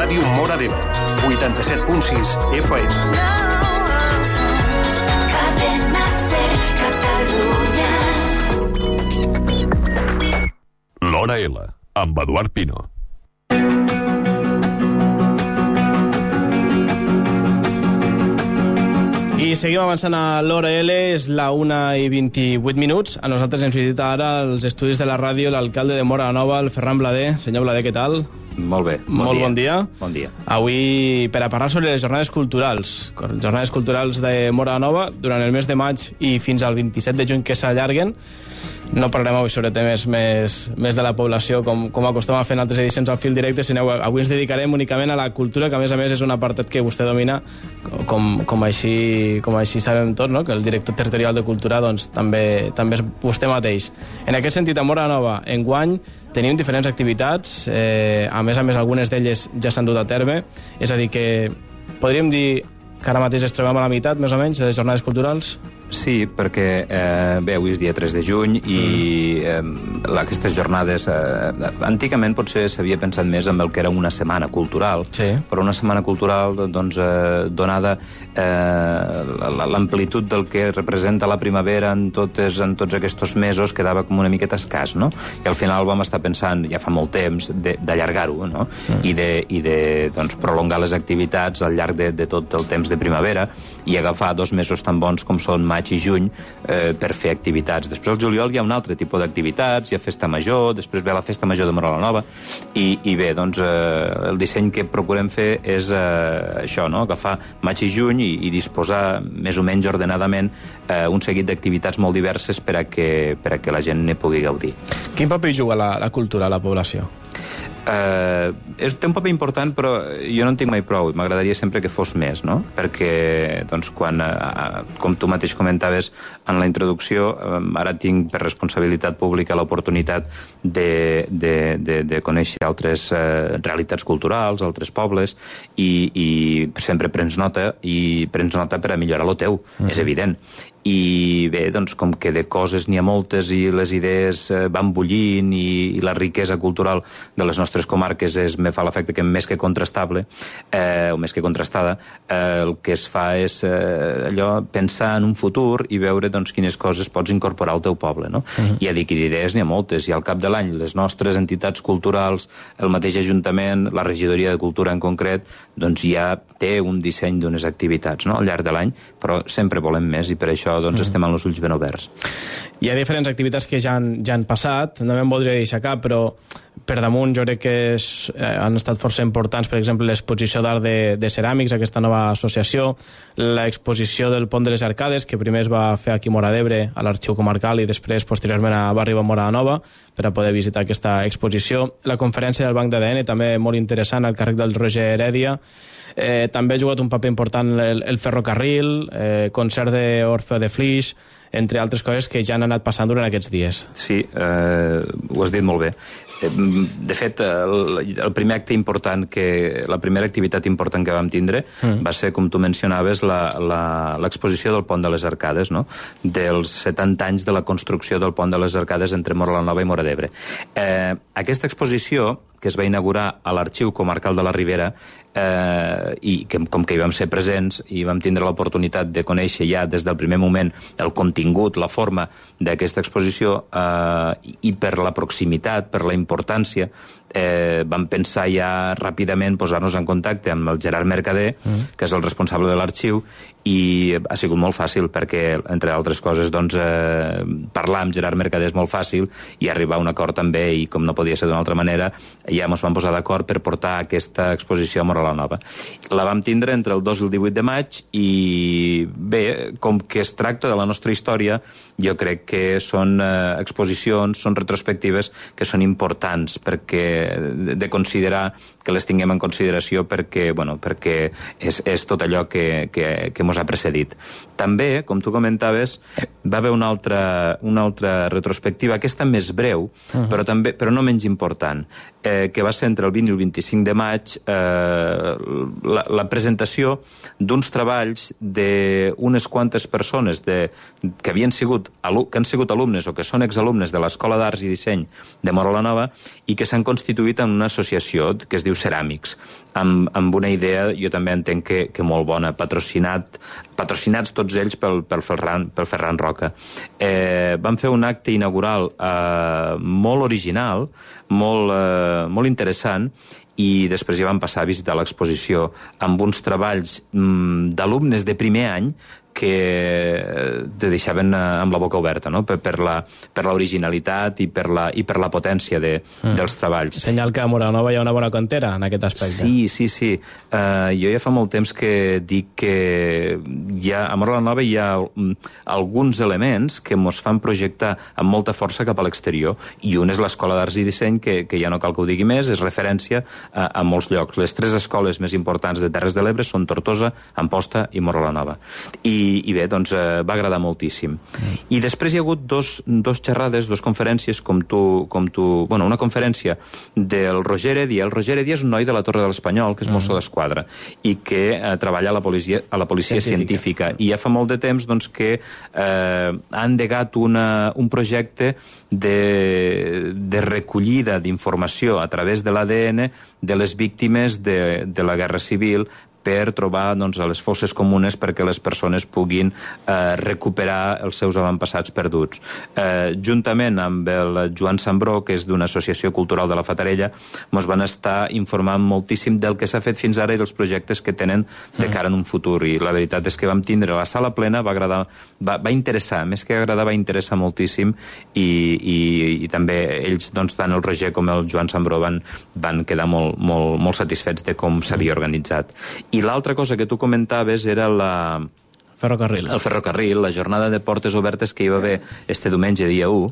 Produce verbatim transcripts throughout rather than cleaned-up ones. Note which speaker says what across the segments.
Speaker 1: Ràdio Móra d'Ebre, vuitanta-set punt sis F M.
Speaker 2: L'Hora L, amb Eduard Pino.
Speaker 3: I seguim avançant a l'Hora L, és la una i vint-i-vuit minuts. A nosaltres ens visita ara als estudis de la ràdio l'alcalde de Móra la Nova, el Ferran Blader. Senyor Blader, què tal?
Speaker 4: Molt bé, bon
Speaker 3: Molt
Speaker 4: dia.
Speaker 3: bon dia.
Speaker 4: Bon dia.
Speaker 3: Avui, per a parlar sobre les jornades culturals, jornades culturals de Móra la Nova, durant el mes de maig i fins al vint-i-set de juny que s'allarguen. No parlarem avui sobre temes més, més de la població, com, com acostuma a fer en altres edicions al fil directe, sinó avui ens dedicarem únicament a la cultura, que a més a més és un apartat que vostè domina, com, com, així, com així sabem tots, no? Que el director territorial de Cultura doncs, també, també és vostè mateix. En aquest sentit, a Móra la Nova, enguany, tenim diferents activitats, eh, a més a més algunes d'elles ja s'han dut a terme, és a dir que podríem dir que ara mateix ens trobem a la meitat, més o menys, de les jornades culturals?
Speaker 4: Sí, perquè eh, bé, avui és dia tres de juny i eh, aquestes jornades eh, antigament potser s'havia pensat més en el que era una setmana cultural,
Speaker 3: sí.
Speaker 4: Però una setmana cultural doncs, eh, donada eh, l'amplitud del que representa la primavera en, totes, en tots aquests mesos quedava com una miqueta escàs, no? I al final vam estar pensant, ja fa molt temps, d'allargar-ho, no? Mm. I, de, i de doncs, prolongar les activitats al llarg de, de tot el temps de primavera i agafar dos mesos tan bons com són maig i juny eh, per fer activitats. Després al juliol hi ha un altre tipus d'activitats, hi ha festa major, després ve la festa major de Móra la Nova i, i bé, doncs eh, el disseny que procurem fer és eh, això, no? Agafar maig i juny i, i disposar més o menys ordenadament eh, un seguit d'activitats molt diverses per a que, per a que la gent ne pugui gaudir.
Speaker 3: Quin paper juga la, la cultura a la població?
Speaker 4: Eh, és, té un paper important, però jo no en tinc mai prou i m'agradaria sempre que fos més, no? Perquè doncs, quan, eh, com tu mateix comentaves en la introducció, eh, ara tinc per responsabilitat pública l'oportunitat de, de, de, de conèixer altres eh, realitats culturals, altres pobles i, i sempre prens nota i prens nota per a millorar lo teu, mm. és evident. I bé, doncs com que de coses n'hi ha moltes i les idees eh, van bullint i, i la riquesa cultural de les nostres comarques és, me fa l'efecte que més que contrastable eh, o més que contrastada, eh, el que es fa és eh, allò, pensar en un futur i veure doncs quines coses pots incorporar al teu poble, no? Uh-huh. I a dir que d'idees n'hi ha moltes, i al cap de l'any les nostres entitats culturals, el mateix Ajuntament, la Regidoria de Cultura en concret, doncs ja té un disseny d'unes activitats, no? Al llarg de l'any, però sempre volem més i per això doncs mm. estem amb els ulls ben oberts.
Speaker 3: Hi ha diferents activitats que ja han, ja han passat, no me'n voldria deixar cap, però per damunt jo crec que és, eh, han estat força importants, per exemple, l'exposició d'art de, de ceràmics, aquesta nova associació, l'exposició del Pont de les Arcades, que primer es va fer aquí a Móra d'Ebre, a l'Arxiu Comarcal, i després, posteriorment, va arribar a Móra la Nova per a poder visitar aquesta exposició. La conferència del Banc d'A D N, també molt interessant, al càrrec del Roger Heredia. Eh, també ha jugat un paper important el, el ferrocarril, eh, concert d'Orfeo de Flix, entre altres coses que ja han anat passant durant aquests dies.
Speaker 4: Sí, eh, ho has dit molt bé. De fet, el, el primer acte important, que la primera activitat important que vam tindre mm. va ser, com tu mencionaves, l'exposició del Pont de les Arcades, no? Dels setanta anys de la construcció del Pont de les Arcades entre Móra la Nova i Móra d'Ebre. Eh, aquesta exposició, que es va inaugurar a l'Arxiu Comarcal de la Ribera, eh, i que, com que hi vam ser presents i vam tindre l'oportunitat de conèixer ja des del primer moment el contingut, la forma d'aquesta exposició, eh, i per la proximitat, per la importància, eh, vam pensar ja ràpidament posar-nos en contacte amb el Gerard Mercader, mm. que és el responsable de l'arxiu, i ha sigut molt fàcil perquè, entre altres coses, doncs, eh, parlar amb Gerard Mercader és molt fàcil i arribar a un acord també, i com no podia ser d'una altra manera, ja ens vam posar d'acord per portar aquesta exposició a Móra la Nova. La vam tindre entre el dos i el divuit de maig i bé, com que es tracta de la nostra història, jo crec que són eh, exposicions, són retrospectives que són importants perquè de, de considerar, que les tinguem en consideració perquè, bueno, perquè és, és tot allò que, que, que mos ha precedit. També, com tu comentaves, va haver una altra, una altra retrospectiva, aquesta més breu, uh-huh. però, també, però no menys important, eh, que va ser entre el vint i el vint-i-cinc de maig, eh, la, la presentació d'uns treballs d'unes quantes persones de, que havien sigut, que han sigut alumnes o que són exalumnes de l'Escola d'Arts i Disseny de Móra la Nova i que s'han constituït constituït en una associació que es diu Ceràmics, amb, amb una idea, jo també entenc que, que molt bona, patrocinat, patrocinats tots ells pel, pel, Ferran, pel Ferran Roca. Eh, van fer un acte inaugural eh, molt original, molt, eh, molt interessant, i després ja vam passar a visitar l'exposició amb uns treballs mm, d'alumnes de primer any que te deixaven amb la boca oberta, no? per, per, la, per l'originalitat i per la, i per la potència de, mm. dels treballs.
Speaker 3: Senyal que a Móra-la-Nova hi ha una bona cantera en aquest aspecte.
Speaker 4: Sí, sí, sí. Uh, jo ja fa molt temps que dic que hi ha, a Móra-la-Nova hi ha um, alguns elements que mos fan projectar amb molta força cap a l'exterior, i un és l'Escola d'Arts i Disseny, que, que ja no cal que ho digui més, és referència a, a molts llocs. Les tres escoles més importants de Terres de l'Ebre són Tortosa, Amposta i Móra-la-Nova. I I, i bé, doncs eh, va agradar moltíssim. Mm. I després hi ha hagut dos, dos xerrades, dos conferències, com tu, com tu... Bueno, una conferència del Roger Edia. El Roger Edia és un noi de la Torre de l'Espanyol, que és mm. mosso d'esquadra, i que eh, treballa a la policia, a la policia científica. científica. I ja fa molt de temps doncs, que eh, ha endegat una, un projecte de, de recollida d'informació a través de l'A D N de les víctimes de, de la Guerra Civil, per trobar doncs, a les fosses comunes perquè les persones puguin eh, recuperar els seus avantpassats perduts. Eh, juntament amb el Joan Sambró, que és d'una associació cultural de la Fatarella, ens van estar informant moltíssim del que s'ha fet fins ara i dels projectes que tenen de cara en un futur. I la veritat és que vam tindre la sala plena, va agradar, va, va interessar, més que agradar, va interessar moltíssim, i, i, i també ells, doncs, tant el Roger com el Joan Sambró van, van quedar molt, molt, molt satisfets de com s'havia organitzat. I l'altra cosa que tu comentaves era la...
Speaker 3: Ferrocarril.
Speaker 4: El ferrocarril, la jornada de portes obertes que hi va haver este diumenge, dia u,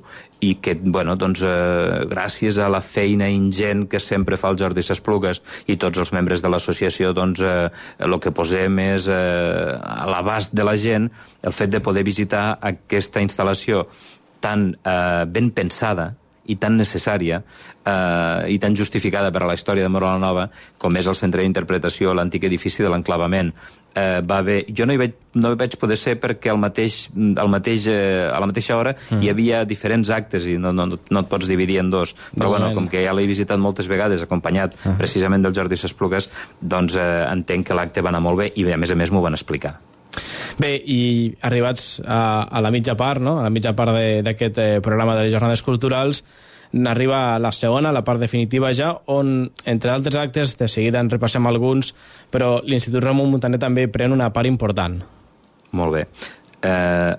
Speaker 4: i que, bueno, doncs, eh, gràcies a la feina ingent que sempre fa el Jordi S'Esplugues i tots els membres de l'associació, doncs, eh, el que posem és eh, a l'abast de la gent el fet de poder visitar aquesta instal·lació tan eh, ben pensada i tan necessària eh, i tan justificada per a la història de Móra-la-Nova com és el centre d'interpretació, l'antic edifici de l'enclavament. Eh, va haver, jo no hi, vaig, no hi vaig poder ser perquè al mateix, al mateix, eh, a la mateixa hora mm. hi havia diferents actes i no, no, no et pots dividir en dos, però no, bueno, com que ja l'he visitat moltes vegades acompanyat uh -huh. precisament del Jordi S'Esplugues, doncs eh, entenc que l'acte va anar molt bé i a més a més m'ho van explicar.
Speaker 3: Bé, i arribats a, a la mitja part, no? a la mitja part d'aquest eh, programa de les jornades culturals, arriba la segona, la part definitiva ja, on, entre altres actes, de seguida en repassem alguns, però l'Institut Ramon Muntaner també pren una part important.
Speaker 4: Molt bé. Eh...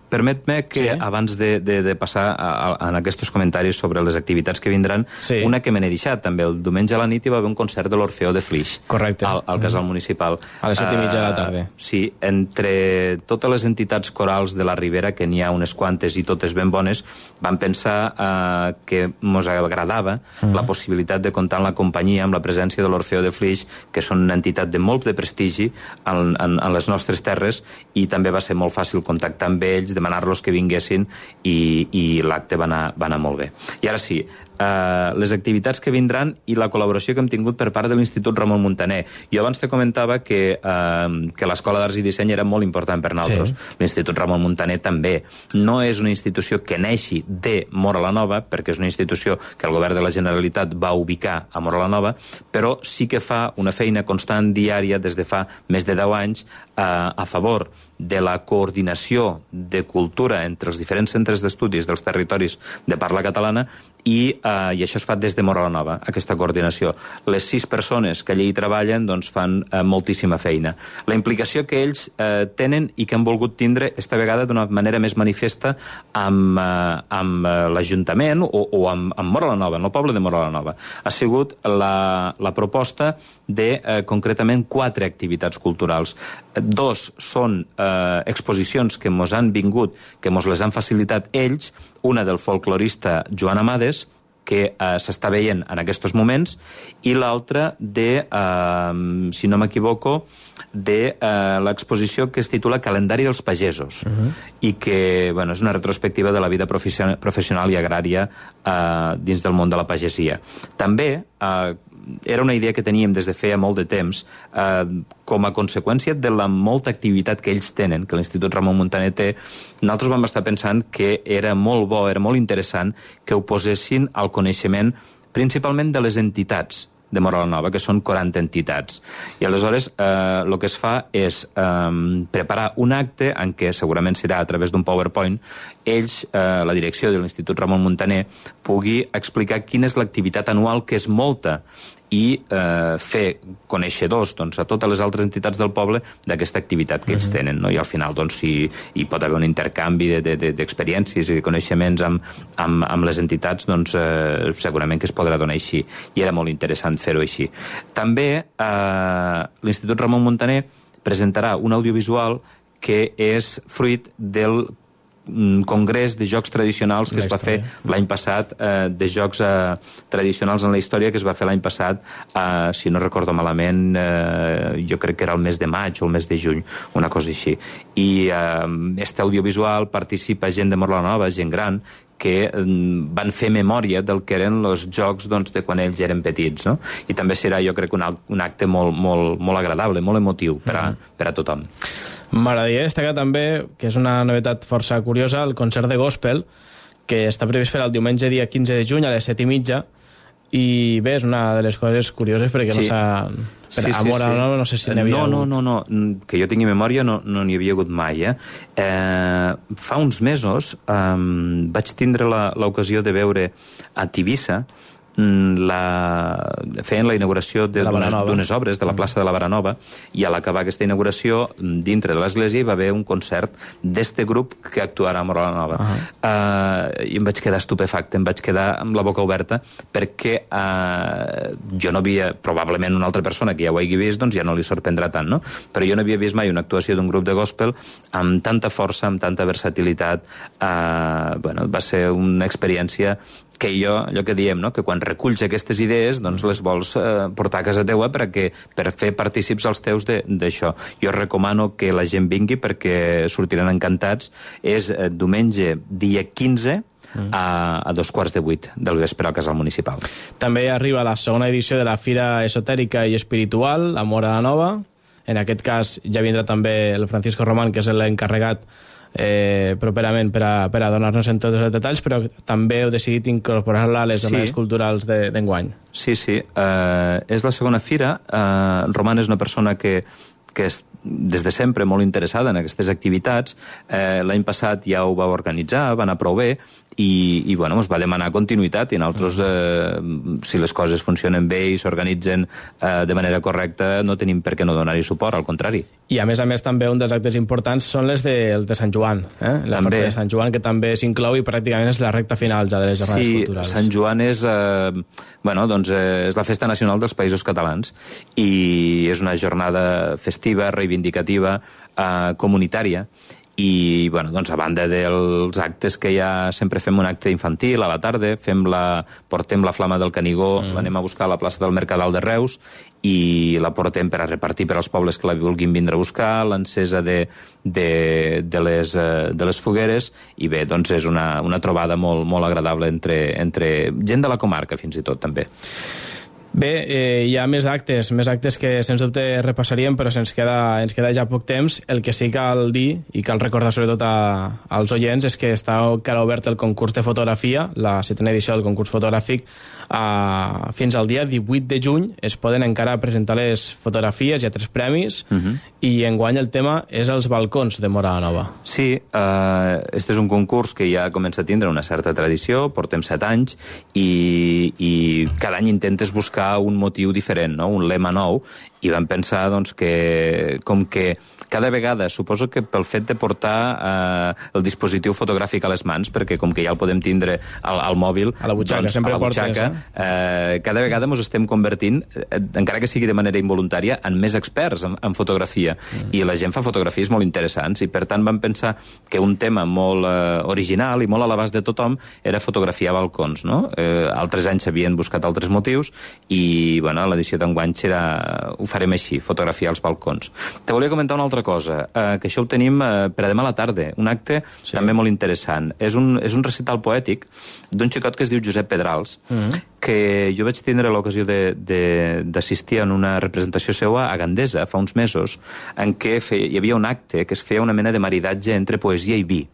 Speaker 4: Permet-me que, sí? abans de, de, de passar a, a, a aquests comentaris sobre les activitats que vindran, sí. una que me n'he deixat també. El diumenge a la nit hi va haver un concert de l'Orfeó de Flix.
Speaker 3: Correcte.
Speaker 4: Al, al Casal Municipal.
Speaker 3: A les set i mitja de la tarda.
Speaker 4: Uh, sí, entre totes les entitats corals de la Ribera, que n'hi ha unes quantes i totes ben bones, van pensar uh, que mos agradava uh-huh. la possibilitat de comptar amb la companyia, amb la presència de l'Orfeó de Flix, que són una entitat de molt de prestigi en, en, en les nostres terres, i també va ser molt fàcil contactar amb ells, demanar-los que vinguessin, i, i l'acte va anar, va anar molt bé. I ara sí, Uh, les activitats que vindran i la col·laboració que hem tingut per part de l'Institut Ramon Muntaner. Jo abans te comentava que, uh, que l'Escola d'Arts i Disseny era molt important per nosaltres. Sí. L'Institut Ramon Muntaner també. No és una institució que neixi de Móra-la-Nova, perquè és una institució que el govern de la Generalitat va ubicar a Móra-la-Nova, però sí que fa una feina constant diària des de fa més de deu anys uh, a favor de la coordinació de cultura entre els diferents centres d'estudis dels territoris de parla catalana, i, eh, i això es fa des de Móra-la-Nova, aquesta coordinació. Les sis persones que allà hi treballen doncs, fan eh, moltíssima feina. La implicació que ells eh, tenen i que han volgut tindre esta vegada d'una manera més manifesta amb, eh, amb eh, l'Ajuntament o, o amb, amb Móra-la-Nova, en el poble de Móra-la-Nova, ha sigut la, la proposta de, eh, concretament, quatre activitats culturals. Dos són eh, exposicions que mos han vingut, que mos les han facilitat ells, una del folclorista Joan Amades, que eh, s'està veient en aquests moments, i l'altra de, eh, si no m'equivoco, de eh, l'exposició que es titula Calendari dels Pagesos, uh-huh. i que, bueno, és una retrospectiva de la vida professional i agrària eh, dins del món de la pagesia. També eh, era una idea que teníem des de feia molt de temps, eh, com a conseqüència de la molta activitat que ells tenen, que l'Institut Ramon Muntaner té. Nosaltres vam estar pensant que era molt bo, era molt interessant que ho posessin al coneixement principalment de les entitats de Móra la Nova, que són quaranta entitats. I aleshores eh, el que es fa és eh, preparar un acte en què segurament serà a través d'un PowerPoint ells, eh, la direcció de l'Institut Ramon Muntaner, pugui explicar quina és l'activitat anual, que és molta, i eh, fer coneixedors doncs, a totes les altres entitats del poble d'aquesta activitat que ells uh-huh. tenen, no? I al final doncs, hi, hi pot haver un intercanvi d'experiències de, de, de, i de coneixements amb, amb, amb les entitats, doncs eh, segurament que es podrà donar així, i era molt interessant fer-ho així. També eh, l'Institut Ramon Muntaner presentarà un audiovisual que és fruit del congrés de jocs tradicionals que es va fer l'any passat, eh, de jocs eh, tradicionals en la història, que es va fer l'any passat, eh, si no recordo malament, eh, jo crec que era el mes de maig o el mes de juny, una cosa així. I eh, este audiovisual participa gent de Móra la Nova, gent gran, que van fer memòria del que eren els jocs doncs, de quan ells eren petits, no? I també serà, jo crec, un, un acte molt, molt, molt agradable, molt emotiu per a, mm. per a tothom.
Speaker 3: M'agradaria destacar també, que és una novetat força curiosa, el concert de gospel, que està previst per al diumenge dia quinze de juny a les set i mitja, i bé, és una de les coses curioses perquè sí. no s'ha... Per sí, amor sí, sí. No, no sé si n'hi havia
Speaker 4: no,
Speaker 3: hagut.
Speaker 4: No, no, no, que jo tingui memòria no n'hi no havia hagut mai. Eh? Eh, fa uns mesos eh, vaig tindre l'ocasió de veure a Tivissa la... feien la inauguració d'unes obres de la plaça de la Baranova, i a l'acabar aquesta inauguració, dintre de l'església hi va haver un concert d'este grup que actuarà a Móra la Nova. Uh -huh. uh, I em vaig quedar estupefacte, em vaig quedar amb la boca oberta, perquè uh, jo no havia, probablement una altra persona que ja ho hagi vist, doncs ja no li sorprendrà tant, no? Però jo no havia vist mai una actuació d'un grup de gospel amb tanta força, amb tanta versatilitat. Uh, bueno, va ser una experiència que jo, allò que diem, no? Que quan reculls aquestes idees, doncs les vols eh, portar a casa teua per, que, per fer partícips als teus d'això. Jo recomano que la gent vingui perquè sortiran encantats. És eh, diumenge, dia quinze, a, a dos quarts de vuit del vespre al Casal Municipal.
Speaker 3: També arriba la segona edició de la Fira Esotèrica i Espiritual a Móra la Nova. En aquest cas ja vindrà també el Francisco Román, que és l'encarregat Eh, properament per a, per a donar-nos en tots els detalls, però també heu decidit incorporar-la a les jornades sí. culturals d'enguany.
Speaker 4: Sí, sí. Uh, és la segona fira. Uh, Roman és una persona que, que és des de sempre molt interessada en aquestes activitats. Eh, L'any passat ja ho va organitzar, va anar prou bé, i, i bueno, ens va demanar continuïtat, i nosaltres, eh, si les coses funcionen bé i s'organitzen eh, de manera correcta, no tenim per què no donar-hi suport, al contrari.
Speaker 3: I a més a més també un dels actes importants són les de, de Sant Joan, eh? la
Speaker 4: també.
Speaker 3: Festa de Sant Joan, que també s'inclou i pràcticament és la recta final ja de les jornades
Speaker 4: sí,
Speaker 3: culturals.
Speaker 4: Sí, Sant Joan és, eh, bueno, doncs, eh, és la festa nacional dels Països Catalans, i és una jornada festiva, reivindicativa, eh, comunitària, i bueno, doncs a banda dels actes que ja sempre fem un acte infantil a la tarda, fem la, portem la flama del Canigó, mm. l'anem a buscar a la plaça del Mercadal de Reus i la portem per a repartir per als pobles que la vulguin vindre a buscar, l'encesa de, de, de, les, de les fogueres, i bé, doncs és una, una trobada molt, molt agradable entre, entre gent de la comarca, fins i tot, també.
Speaker 3: Bé, eh, hi ha més actes, més actes que sens dubte repassaríem, però se'ns queda, ens queda ja poc temps. El que sí cal dir, i cal recordar sobretot a, als oients, és que està encara obert el concurs de fotografia, la setena edició del concurs fotogràfic, a, fins al dia divuit de juny es poden encara presentar les fotografies, hi ha tres premis, uh -huh. i enguany el tema és els balcons de Móra la Nova.
Speaker 4: Sí, eh, este és un concurs que ja comença a tindre una certa tradició, portem set anys, i, i cada any intentes buscar un motiu diferent, no? Un lema nou, i vam pensar doncs, que com que cada vegada, suposo que pel fet de portar eh, el dispositiu fotogràfic a les mans, perquè com que ja el podem tindre al, al mòbil,
Speaker 3: a la butxaca,
Speaker 4: doncs,
Speaker 3: sempre
Speaker 4: a la butxaca,
Speaker 3: portes,
Speaker 4: eh? Eh, cada vegada ens estem convertint, eh, encara que sigui de manera involuntària, en més experts en, en fotografia, mm. i la gent fa fotografies molt interessants, i per tant vam pensar que un tema molt eh, original i molt a l'abast de tothom era fotografiar balcons, no? Eh, altres anys s'havien buscat altres motius, i bueno, l'edició d'enguany serà, ho farem així, fotografiar els balcons. Te volia comentar una altra cosa, eh, que això ho tenim eh, per a demà a la tarda, un acte sí. també molt interessant. És un, és un recital poètic d'un xicot que es diu Josep Pedrals, mm-hmm. que jo vaig tindre l'ocasió d'assistir en una representació seva a Gandesa fa uns mesos, en què fe, hi havia un acte que es feia una mena de maridatge entre poesia i vi.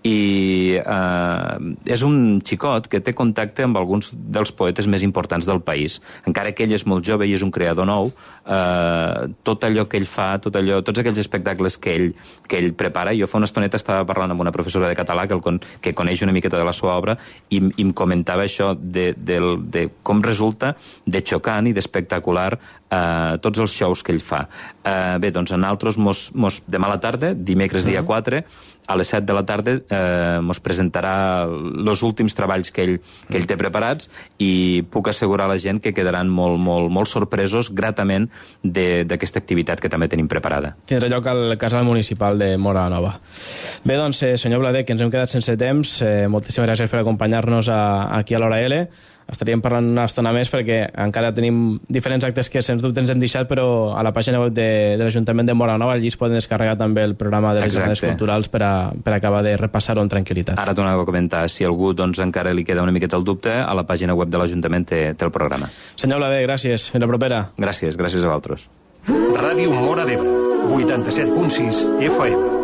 Speaker 4: i eh, és un xicot que té contacte amb alguns dels poetes més importants del país. Encara que ell és molt jove i és un creador nou, eh, tot allò que ell fa, tot allò, tots aquells espectacles que ell, que ell prepara, jo fa una estoneta estava parlant amb una professora de català que, el, que coneix una miqueta de la seva obra i, i em comentava això de, de, de com resulta de xocant i d'espectacular eh, tots els shows que ell fa. Eh, bé, doncs en altres mos, mos, demà a la tarda, dimecres dia quatre, a les set de la tarda eh, mos presentarà els últims treballs que ell, que ell té preparats i puc assegurar a la gent que quedaran molt, molt, molt sorpresos gratament d'aquesta activitat que també tenim preparada.
Speaker 3: Tindrà lloc al Casal Municipal de Móra la Nova. Bé, doncs, eh, senyor Blader, que ens hem quedat sense temps, eh, moltíssimes gràcies per acompanyar-nos a, aquí a l'Hora L. Estaríem parlant una estona més perquè encara tenim diferents actes que sens dubte ens hem deixat, però a la pàgina web de, de l'Ajuntament de Móra la Nova allí es poden descarregar també el programa de les jornades culturals per, a, per acabar de repassar-ho amb tranquil·litat.
Speaker 4: Ara t'ho anava a comentar, si algú doncs, encara li queda una miqueta el dubte, a la pàgina web de l'Ajuntament té, té el programa.
Speaker 3: Senyor Blader, gràcies. Fins la propera.
Speaker 4: Gràcies, gràcies a vosaltres.
Speaker 1: Ràdio Móra d'Ebre, vuitanta-set punt sis F M.